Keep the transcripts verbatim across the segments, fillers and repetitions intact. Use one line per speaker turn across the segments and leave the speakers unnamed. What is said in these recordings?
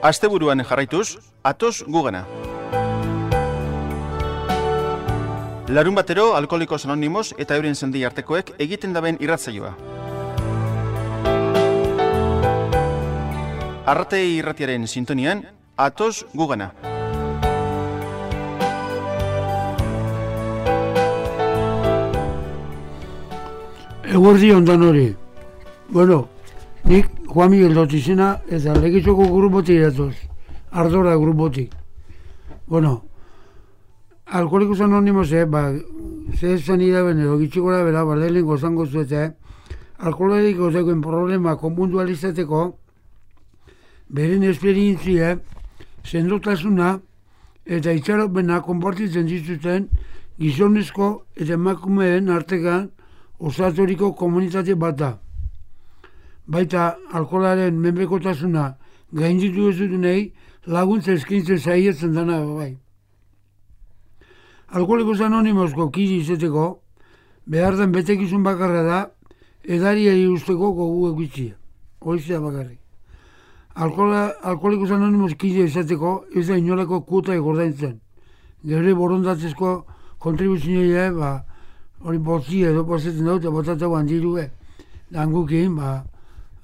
Asteburuan jarraituz, atoz gugana. Larun batero, Alkoholikos Anonimos eta euren sendi artekoek egiten daben irratzaioa. Arratei irratiaren sintonian, atoz gugana.
Eguerdi ondan hori. Bueno, nik Juan Miguel Dotizena eta Legitzoko grupotik iratoz. Ardora grupotik. Bueno, Alkoholikos Anonimos, eh, ba, ze esan idaben edo gitxikora bera, ba, lehenko zango zuete, alkoholiko zeuken problema konpuntualizateko, beren esperientzia, sendotasuna eta itxaropena konpartitzen dituzten gizonezko eta emakumeen artekan osaturiko komunitate bat da. Baita alkoholaren menpekotasuna gainditu ez dutenei laguntza eskaintzen saiatzen dana bai. Alkoholikos Anonimosko kide izateko behar den betekizun bakarra da edariari usteko gogu egitzia. Hoizea bakarrik. Alkoholikos Anonimos kide izateko ez da inolako kuota egordaintzen. Gure borondatzezko kontribuzioa, ba, hori botzia edo pasetzen dut, eta botatau handirue, dangukin, ba,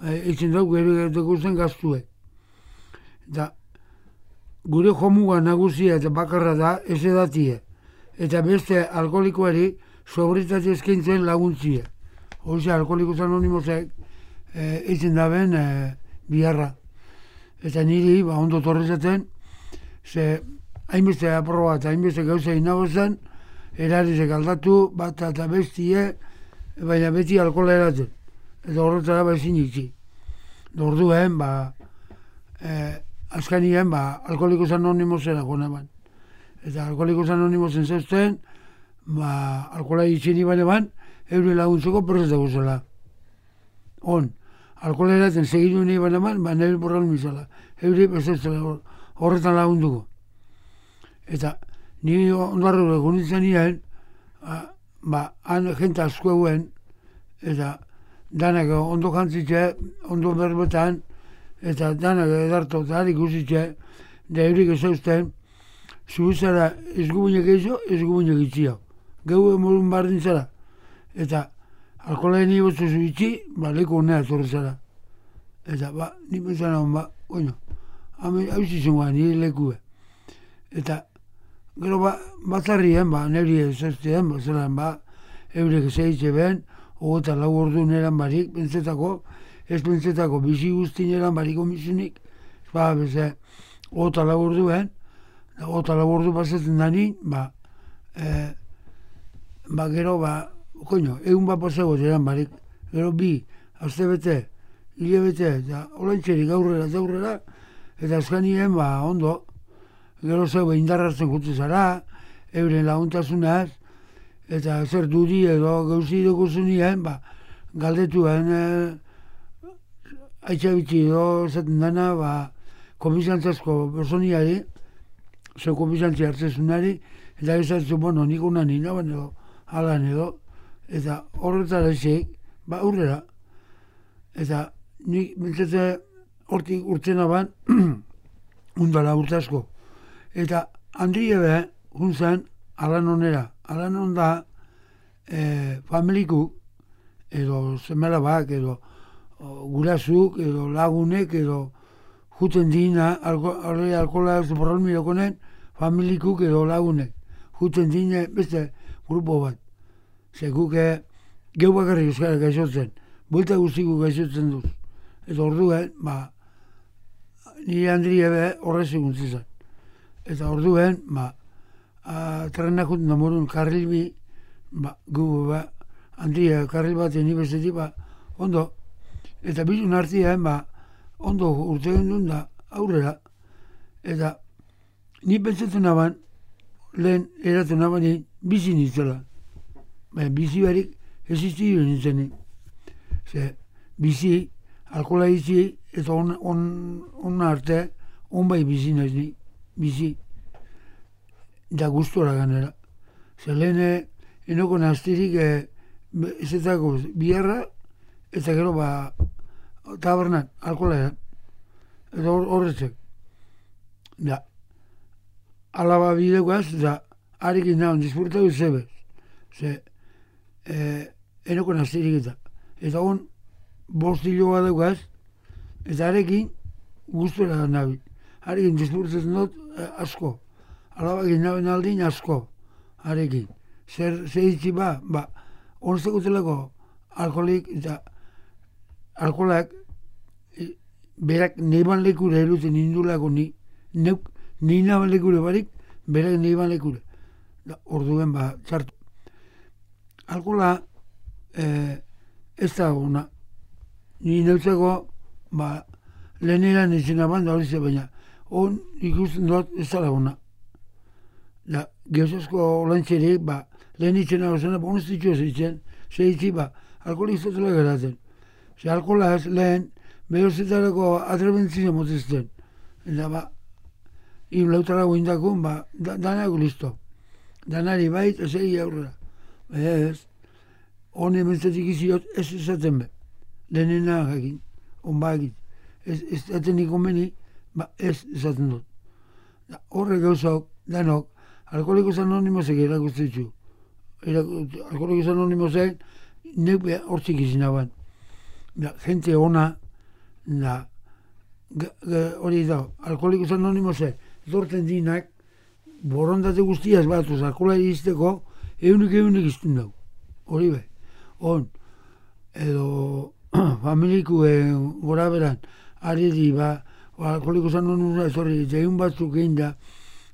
eitzen dut gure dekusten gaztue. Da, gure jomuga nagusia eta bakarra da ez edatie, eta beste alkoholikoari sobritate eskaintzen laguntzia. Hoxe, Alkoholikos Anonimosek eitzen daben e, biharra. Eta niri, ba, ondo torrezaten, ze hainbeste aproba eta hainbeste gauza inagozen, erarizek aldatu, bat eta bestie, baina beti alkohola eratzen. Eta horretara ba ezin itxi. Orduen, ba, eh, azkanien, ba, Alkoholikos Anonimosera goneban. Eta Alkoholikos Anonimosen zeusten, ba, alkohola itxen iban eban, eure laguntzeko prest dago zela. On, alkohola eratzen segiru nahi ban eban, ba, nire borral mizala. Eure bezeuzela horretan lagunduko. Eta ni ondarro egonitzen nien, ba, han jente asko eguen, eta danak ondo jantzitxe, ondo berbetan, eta danak edarto eta harik usitxe, da eurik ezausten, zubizara ez gubunek eizo, ez gubunek itxia. Geu emorun bardin zara. Eta alkohola ni botzu zuitxi, ba, leku honea zorre zara. Eta, ba, ni pensan hon, ba, bueno, hau zizengoa, nire lekue. Eta, gero ba, batzarrien, ba, niri ezaztien, ba, zelan, ba, eurek zeitze ben, ogota lau ordu neran barik, pentsetako, ez pentsetako, bizi guzti neran barik omizunik, ba, beze, ogota lau ordu ben, ogota lau ordu pasatzen dani, ba, e, ba, gero, ba, koño, egun bat pasago neran barik, gero bi, azte bete, hile bete, eta olantxerik aurrera eta aurrera, eta azkanien, ba, ondo, gero zeu indarratzen jutze zara, euren laguntasunaz, eta zer dudi edo gauzi dukusunien, ba, galdetuen e, aitxabitzi edo zaten dana, ba, komisantzazko personiari, zeu komisantzi hartzezunari, eta ezatzu, bueno, nik unan inaban edo, alan edo, eta horretara esik, ba, aurrera. Eta nik bintzete hortik urtzen aban, undala urtazko. Eta handile be, juntzen, alan onera. Alan onda e, familikuk, edo semelabak, edo o, gurasuk, edo lagunek, edo juten dina, alko, alkola ez borralmi dokonen, familikuk edo lagunek. Juten dina beste grupo bat. Zekuke, geu bakarrik euskara gaixotzen, buelta guztiku gaixotzen duz. Eta orduen, ba, nire handile be horrez eguntzizan. Eta orduen, ba, trenak juten da morun karrilbi, ba, gu, ba, handia karril baten ibestetik, ba, ondo, eta bizun hartien, ba, ondo urte gendun da, aurrera, eta ni pentsatzen aban, lehen eraten abani, bizi nintzela. Baina bizi barik, existi nintzen. Ze, bizi, alkohola izi, eta on, on, on arte, on bai bizi naiz ni, bizi. Da gustora ganera. Ze lehen, enoko naztirik, e, ezetako biharra, eta gero, ba, tabernan, alkohola edan. Eta horretzek. Da, alaba bidekoaz, da, harekin nahan disfrutatu zebez. Ze, e, enoko nazterik eta. Eta hon, bost hilo bat daukaz, eta harekin guztora nabil. Harekin disfrutatzen dut eh, asko. Alabakin naben aldin asko, harekin. Zer, zer itzi ba, ba, onzteko telako alkoholik eta alkoholak e, berak neban lekure eruten indulako ni, neuk, ni naban lekure barik, berak neban lekure. Da, orduen ba, txartu. Alkohola e, ez da guna. Ni neutzeko, ba, lehenera nintzen aban da hori ze, baina on ikusten dut ez da guna. Da, geosasko olantxerik, ba, lehen itxena gozena, ba, honez ditxo zitzen, ze itzi, ba, alkoholik zatela geratzen. Ze alkohola ez lehen, behozetarako atrebentzina motezten. Eta, ba, him lautara guindakun, ba, da, danako listo. Danari bait, ez egi aurrera. Ez, hone mentzatik iziot, ez ezaten be. Lehenena jakin, onba egit. Ez, ez zaten ikomeni, ba, ez ezaten dut. Da, horre gauzak, danok, Alkoholikos Anonimosek erakustitzu. Alkoholikos Anonimosek neupe hortzik izin aban. Da, gente ona, da, hori da, Alkoholikos Anonimosek dorten dinak, borondate guztiaz batuz, alkohola izteko, eunik eunik izten dugu. Hori be. On, edo, familikuen gora beran, ari di, ba, Alkoholikos Anonimosa etorri, eta egun batzuk egin da,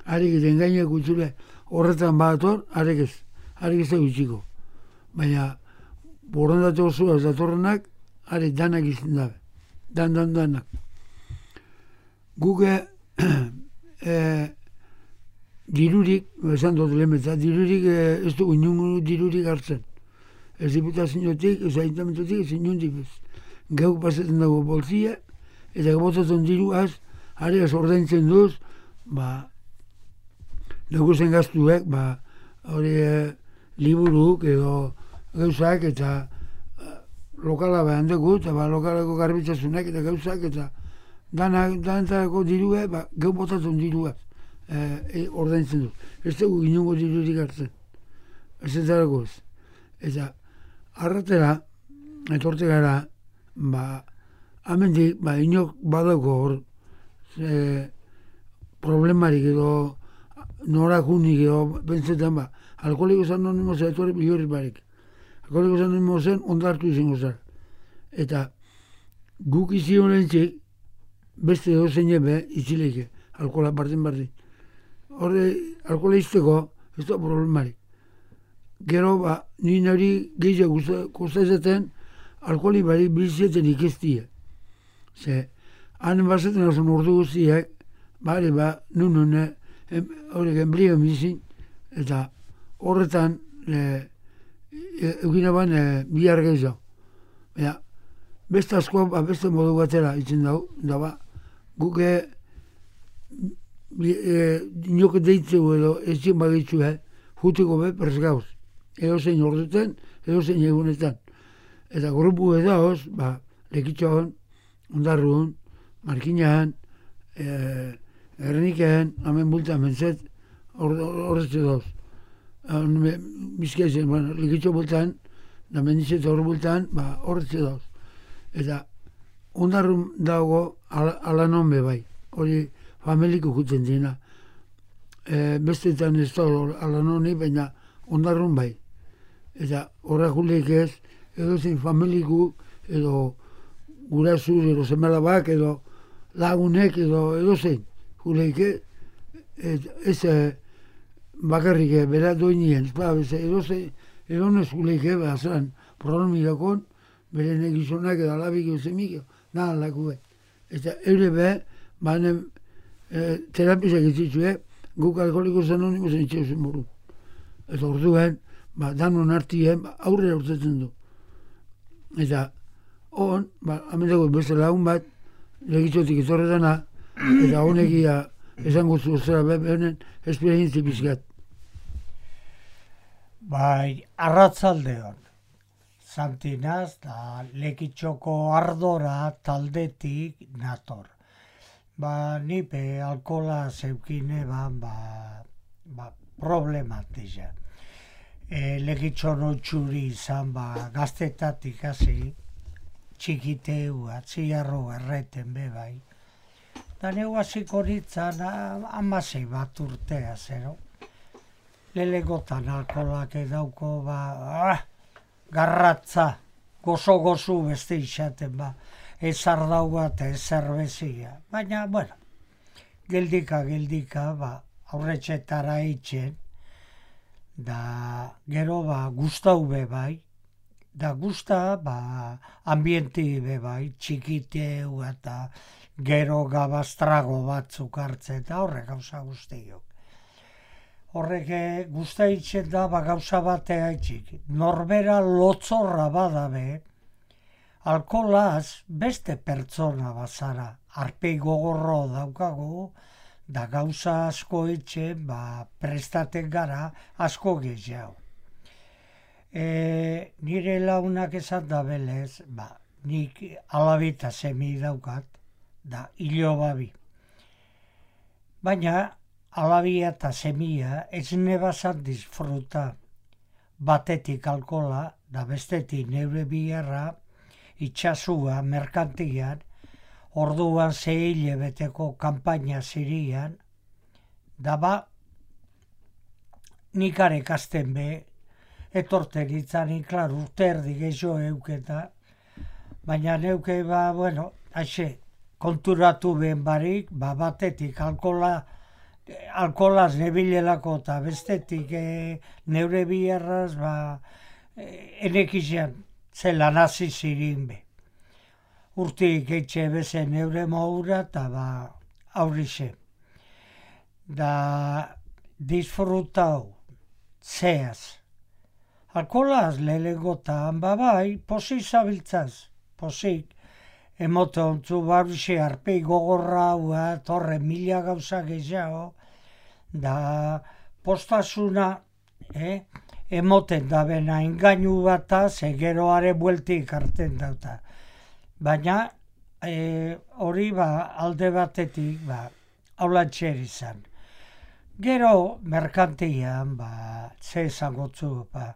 arek eta engainak utzule horretan bator, arek ez, arek ez da gutxiko. Baina, borondate osoa ez datorrenak, arek danak izten dabe. Dan, dan, danak. Guke, e, dirurik, esan dut lehmetza, dirurik e, ez dugu inungu dirurik hartzen. Ez diputaziotik, ez aintamentotik, ez inundik ez. Geuk pasatzen dago bolzia, eta gebotatzen diruaz, arek ez ordaintzen duz, ba, leguzen gaztuek, ba, hori e, liburuk edo gauzak eta e, lokala behan dugu, eta ba, lokalako garbitzazunak eta gauzak eta danak, danetako dirue, ba, geu botatzen diruaz e, e, ordaintzen dut. Ez dugu inungo dirurik hartzen. Ez ez darako ez. Eta arratera, etorte gara, ba, amendik, ba, inok badauko hor, e, problemarik edo norak unik edo bentsetan ba, Alkoholikos Anonimos etorri bihurri barik. Alkoholikos Anonimosen ondartu izango zara. Eta guk izi honentzik beste dozen ebe itzileike, alkohola bardin bardin. Horre, alkohola izteko ez da problemarik. Gero, ba, nire nari gehiago gustatzen alkoholi bari bilizeten ikestia. Ze, hanen bazaten azun ordu guztiak, bari ba, nun nune, horrek enbrio bizin, eta horretan e, e, egin aban e, bihar gehiago. Baina, beste asko, ba, beste modu batera itzen dago, da ba, guk e, e, inoke deitzeu edo ezin bagitzu, eh, jutiko be presgauz. Edo zein orduetan, edo zein egunetan. Eta grupu edaoz, ba, Lekitxoan, Ondarruan, Markinahan, e, Ernikean, hamen bulta, mentzet, horretze doz. Bizkaizen, bueno, Lekitxo bultan, da mendizet hor bultan, ba, horretze doz. Eta Ondarrun dago ala non be bai, hori familiko jutzen dina. E, bestetan ez da ala noni, baina Ondarrun bai. Eta horrak huleik ez, edo zein familiku, edo gurasur, edo semelabak, edo lagunek, edo edo zein. Huleike, ez bakarrik bera doinien, edo zein, edo nes huleike, behazan, problemikakon, bere negizonak edo alabik edo zemik, nahan laku be. Eta eure be, baina terapizak ezitzue, guk Alkoholikos Anonimosen itxeuzen buru. Eta orduen, ba, danon artien, ba, aurrera urtetzen du. Eta, hon, ba, amendago beste lagun bat, Lekitxotik etorretana, eta honekia esango zuzera behenen esperientzi bizkat.
Bai, arratzaldeon. Santinaz da Lekitxoko ardora taldetik nator. Ba, nipe alkola zeukine ban, ba, ba, problematizia. E, legitxon otxuri izan, ba, gaztetatik hasi, txikiteu, atziarro erreten be bai. Da neu hasiko nintzen amasei bat urtea zero. Lelegotan alkolak edauko, ba, ah, garratza, gozo-gozu beste isaten, ba. Ez ardau bat, ez zerbezia. Baina, bueno, geldika, geldika, ba, aurretxetara eitzen, da gero, ba, gustau be bai, da gusta, ba, ambienti be bai, txikiteu eta gero gabaztrago batzuk hartzen, eta horrek gauza guztiok. Horrek gusta eitzen da, ba, gauza batea eitzik. Norbera lotzorra badabe, alkolaz beste pertsona bazara, arpei gogorro daukagu, da gauza asko etxe, ba, prestaten gara asko gehiago. E, nire launak esan da belez, ba, nik alabita semi daukat, da hilo babi. Baina alabia eta semia ez nebazan disfruta, batetik alkola, da bestetik neure biherra, itxasua, merkantian, orduan zehile beteko kanpaina zirian, da ba, nikare kasten be, etorten itzani, klar, urte erdi gehiago euketa, baina neuke, ba, bueno, haixe, konturatu ben barik, ba, batetik alkola, alkolaz nebilelako eta bestetik e, neure biherraz, ba, e, enekizan, zela nazi zirin be. Urtik eitxe beze neure maura eta ba aurrixe. Da disfrutau zeaz. Alkolaz lelegotan, ba bai, posik zabiltzaz, posik. Emote ontzu baurixe arpei gogorra hua, torre mila gauza gehiago, da postasuna, eh? Emoten da bena engainu bata, ze geroare bueltik hartzen dauta. Baina e, hori ba, alde batetik ba, haulatxer izan. Gero merkantian, ba, ze esangotzu, ba,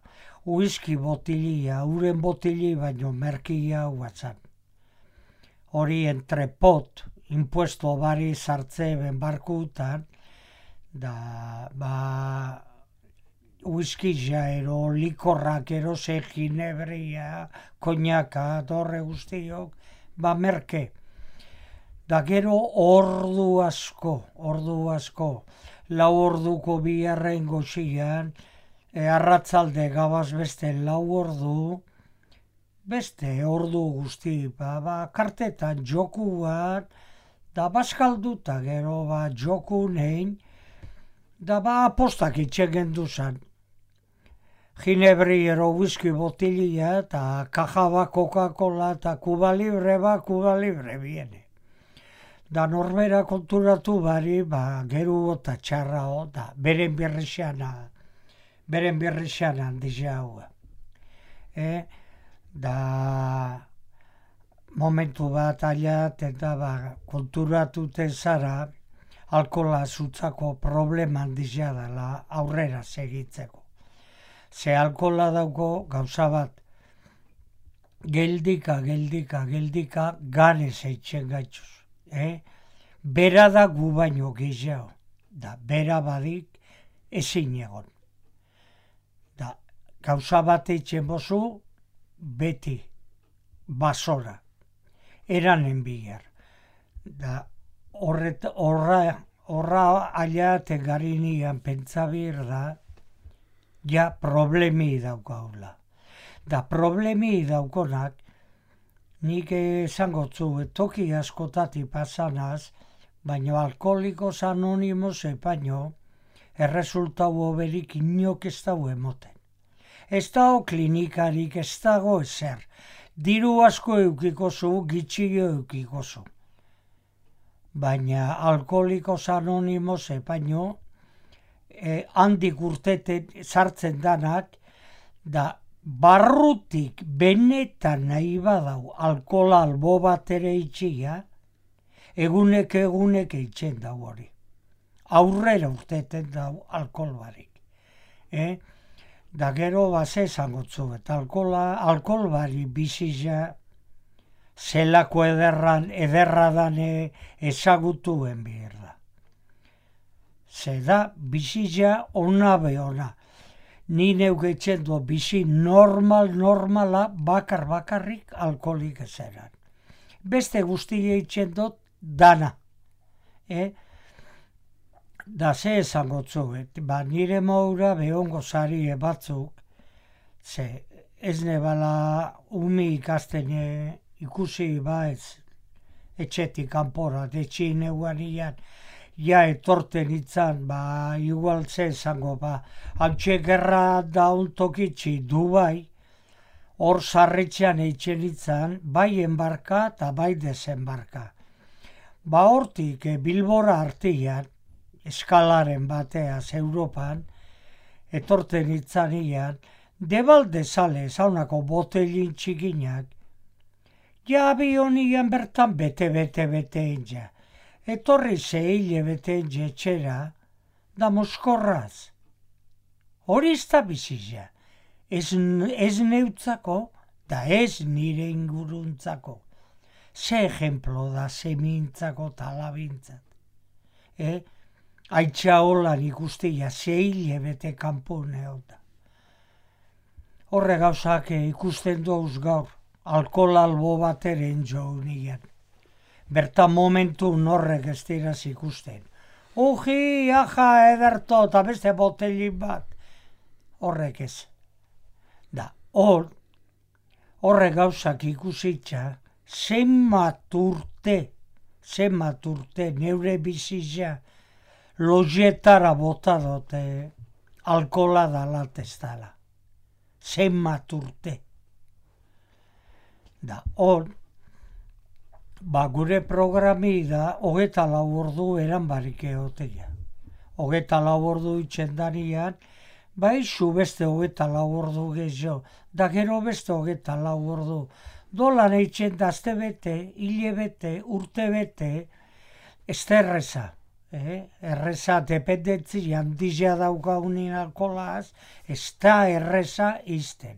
uizki botilia, uren botili baino merkia huatzan. Hori entrepot, impuesto bari sartze ben barkutan, da, ba, uizkija ero, likorrak ero, ze ginebria, koñaka, torre guztiok, ba merke. Da gero ordu asko, ordu asko, lau orduko biharren goxian, e, arratzalde gabaz beste lau ordu, beste ordu guzti, ba, ba kartetan joku bat, da bazkalduta gero ba joku nein, da ba apostak itxegen duzan. Ginebri ero whisky botilia eta kaja ba Coca-Cola eta Cuba Libre ba Cuba Libre biene. Da norbera konturatu bari, ba geru eta txarra o, da beren birrixana, beren birrixana handizia hua. E, da momentu bat aiat eta ba konturatuten zara, alkola zutzako problema handizia dela aurrera segitzeko. Ze alkola dauko gauza bat, geldika, geldika, geldika, ganez eitzen gaitzuz. Eh? Bera da gu baino gehiago, da bera badik ezin egon. Da gauza bat eitzen bozu, beti, basora, eranen bigar. Da horret, horra, horra aia tegarinian pentsabir da, ja problemi daukaula. Da problemi daukonak, nik esangotzu toki askotati pasanaz, baino alkoholikos anonimos epaino, erresultau oberik inok ez dago emoten. Ez dago klinikarik, ez dago ezer. Diru asko eukikozu, gitxio eukikozu. Baina alkoholikos anonimos epaino, Eh, handik urteten sartzen danak, da barrutik benetan nahi badau alkola albo bat ere itxia, egunek egunek eitzen dau hori. Aurrera urteten dau alkohol barik. Eh? Da gero base zangotzu, eta alkohola, alkohol bari bizia zelako ederran, ederradan ezagutuen behar da. Zeda bizia ona behona. Ni neugetzen du bizi normal, normala bakar bakarrik alkoholik ezeran. Beste guztia eitzen dut dana. Eh? Da ze ezangotzu, ba nire maura behongo zari batzuk, ze ez nebala umi ikasten ikusi ba ez etxetik kanpora, detxin eguanian, ja etorten itzan, ba igual ze ezango, ba hantxe gerra daun tokitzi Dubai, hor sarritxean eitzen itzan, bai enbarka eta bai desenbarka. Ba hortik Bilbora artian, eskalaren bateaz Europan, etorten itzanian, debalde sale zaunako botelin txikinak, ja abionian bertan bete-bete-bete enja. Etorri zehile bete enja etxera, da moskorraz. Hori ez da bizia, ez, ez neutzako, da ez nire inguruntzako. Ze ejemplo da zemintzako talabintzat. Eh? Aitza holan ikustia zehile bete kanpune hota. Horre gauzak ikusten douz gaur, alkohol albo bateren jo nian. Bertan momentu horrek ez diraz ikusten. Uji, aja, ederto, eta beste botelin bat. Horrek ez. Da, hor, horre gauzak ikusitza, zenbat urte, zenbat urte, neure bizitza, lojetara bota dute alkohola dalat ez dala. Zenbat urte. Da, hor, ba gure programi da hogeta lau ordu eran barik egotea. Hogeta lau ordu itxendarian, ba isu beste hogeta lau ordu gehiago, da gero beste hogeta lau ordu. Dolan eitzen dazte bete, hile bete, urte bete, ez da erreza. Eh? Erreza dependentzi handizia daukaunin alkolaz, ez da erreza izten.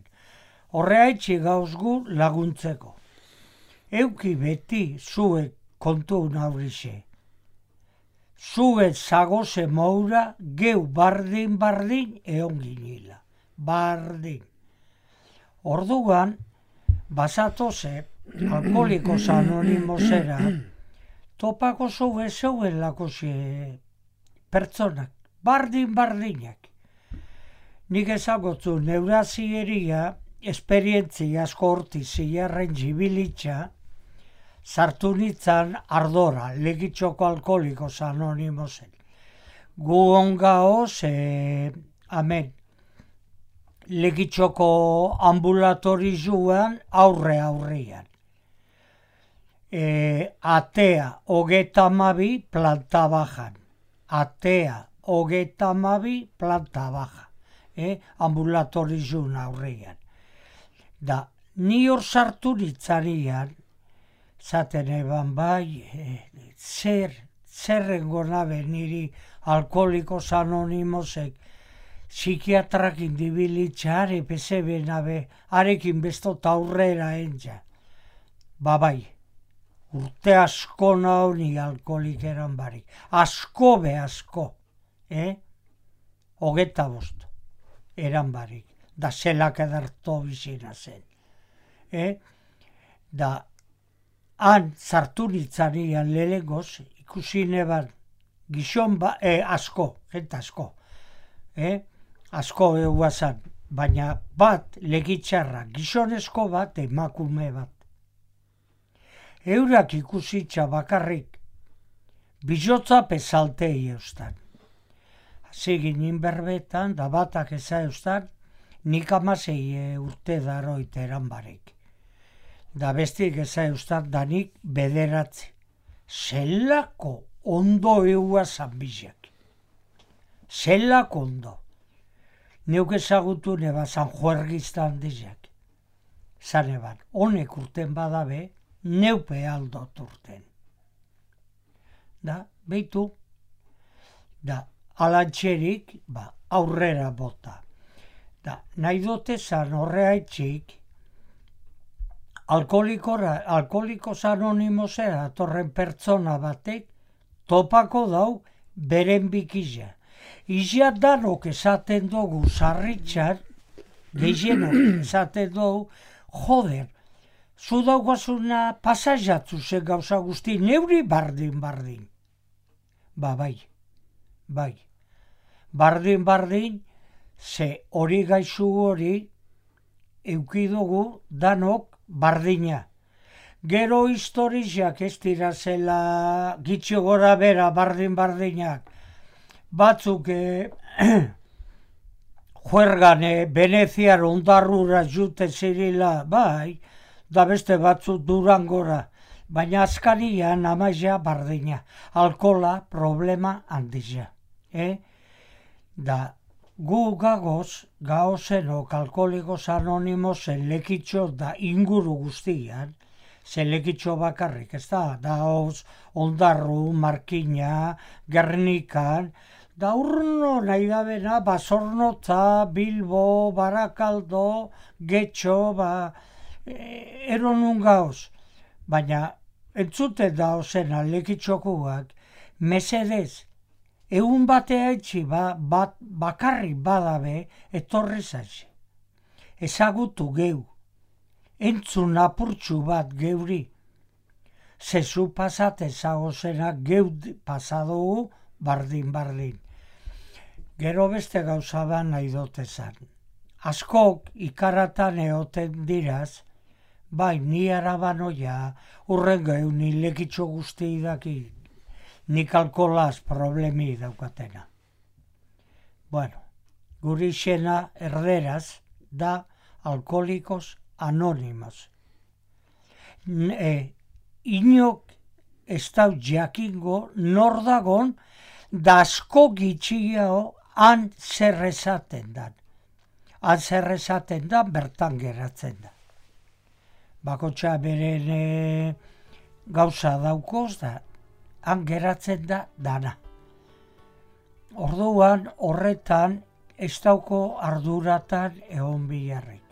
Horreaitzi gauzgu laguntzeko. Euki beti zuek kontu naurixe. Zuek zagoze moura geu bardin-bardin egon ginila. Bardin. Orduan, basatoze, alkoholikos anonimosera, topako zoue zeuen lakosi pertsonak, bardin-bardinak. Nik ezagotzu neurazieria, esperientzia asko horti zilarren jibilitza, sartu nitzan ardora, legitxoko alkoholikos anonimosen. Gu ongaoz, e, amen, legitxoko ambulatorizuan aurre aurrian. E, atea hogeta mabi planta bajan. Atea hogeta mabi planta baja. E, ambulatorizun aurrian. Da, ni hor sartu nitzarian, zaten eban bai, e, zer, zerrengo nabe niri alkoholikos anonimosek, psikiatrak indibilitza are pesebe nabe, arekin bestot aurrera entza. Ba bai, urte asko nau ni alkoholik eran barik. Asko be asko, eh? Hogeta bost, eran barik. Da zelak edarto bizina zen. Eh? Da, han zartu nitzanian lehengoz, ikusi neban gizon ba, eh, asko, jenta asko. Eh? Asko eguazan, baina bat legitxarra, gizonezko bat, emakume bat. Eurak ikusitza bakarrik, bizotza pezaltei eustan. Zigin inberbetan, da batak eza eustan, nik amasei urte daroit eran barik. Da bestik eza eustan, da nik bederatzi. Zelako ondo eguazan bizak. Zelako ondo. Neuk ezagutu neba San Juergiztan dizak. Zan eban, honek urten badabe, neupe aldot urten. da, behitu, da, alantxerik, ba, aurrera bota. Da, nahi dute zan horreaitxik, alkoholikos anonimosera atorren pertsona batek, topako dau beren bikila. Izia danok esaten dugu sarritxan, gehienok esaten dugu, joder, zu daugazuna pasaiatzu zen gauza guzti, neuri bardin-bardin. Ba, bai, bai. Bardin-bardin, ze hori gaizu hori, eukidugu danok bardina. Gero historiak ez dira zela gitxo gora bera bardin-bardinak. Batzuk eh, juergan eh, Veneziar ondarrura jute zirila, bai, da beste batzuk Durangora, baina azkarian amaia bardina. Alkola problema handizia. Eh? Da, gu gagoz, gaozenok alkoholikos anonimosen lekitxo da inguru guztian, ze lekitxo bakarrik, ez da, daoz, Ondarru, Markina, Gernikan, da urno nahi da bena, Basornotza, Bilbo, Barakaldo, Getxo, ba, e, eronun gaoz. Baina, entzute daozena lekitxokuak, mesedez, egun batea etxi ba, bat, bakarrik badabe etorri zaitxe. Ezagutu geu, entzun apurtxu bat geuri. Zezu pasate zagozena geu pasadugu bardin-bardin. Gero beste gauza bat nahi dotezan. Askok ikaratan eoten diraz, bai, ni arabanoia, urren geu ni lekitxo guzti daki. Nik alkolaz problemi daukatena. Bueno, guri xena erderaz da alkoholikos anonimos. E, inok ez dau jakingo nor dagon da asko gitxiago han zer esaten dan. Han zer esaten dan bertan geratzen da. Bakotxa beren e, gauza daukoz da, han geratzen da dana. Orduan horretan ez dauko arduratan egon bilarrik.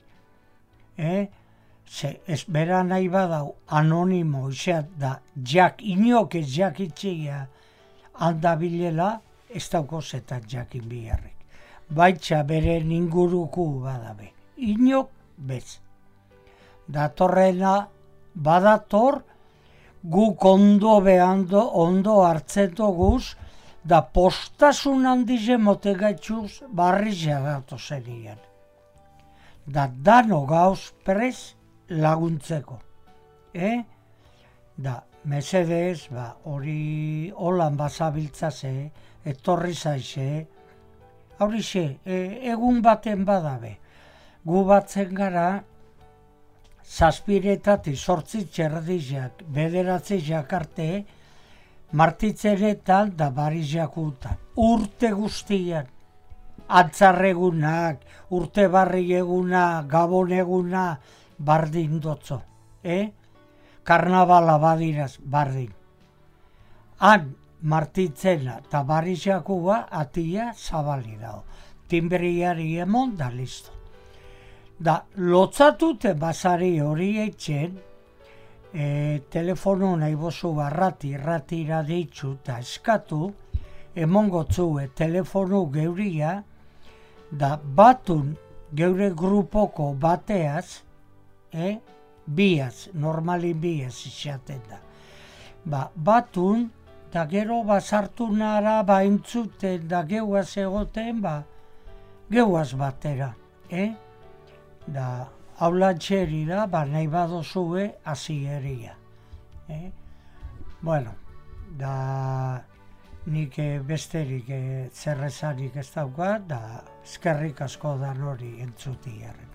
Eh? Ze ez bera nahi badau anonimo izan da jak inok ez jakitxia handabilela ez dauko zetan jakin bilarrik. Baitxa beren inguruku badabe. Inok bez. Datorrena badator guk ondo behando, ondo hartzen duguz, da postasun handize motegaitxuz barrizia dato zenian. Da dano gauz prez laguntzeko. Eh? Da, mesedez, ba, hori holan bazabiltzaze, etorri zaize, horixe, e, egun baten badabe. Gu batzen gara, zazpiretatik sortzi txerdizak, bederatzi jakarte, martitzeretan da barizakutan. Urte guztian, antzarregunak, urte barri eguna, gabon eguna, bardin dotzo. Eh? Karnabala badiraz, bardin. Han, martitzena eta barizakua atia zabali dago. Timbriari emon da listo. Da, lotzatute basari hori etxen, e, telefono nahi bozu barrati, ratira deitzu eta eskatu, emongotzue telefonu geuria, da batun geure grupoko bateaz, eh, biaz, normalin biaz izaten da. Ba, batun, da gero bazartu nara ba entzuten da geuaz egoten, ba, geuaz batera, eh? Da, haulantxeri da, ba, nahi badozue azieria. Eh? Bueno, da, nik besterik zerrezarik ez daukat, da, eskerrik asko da hori entzuti jarren.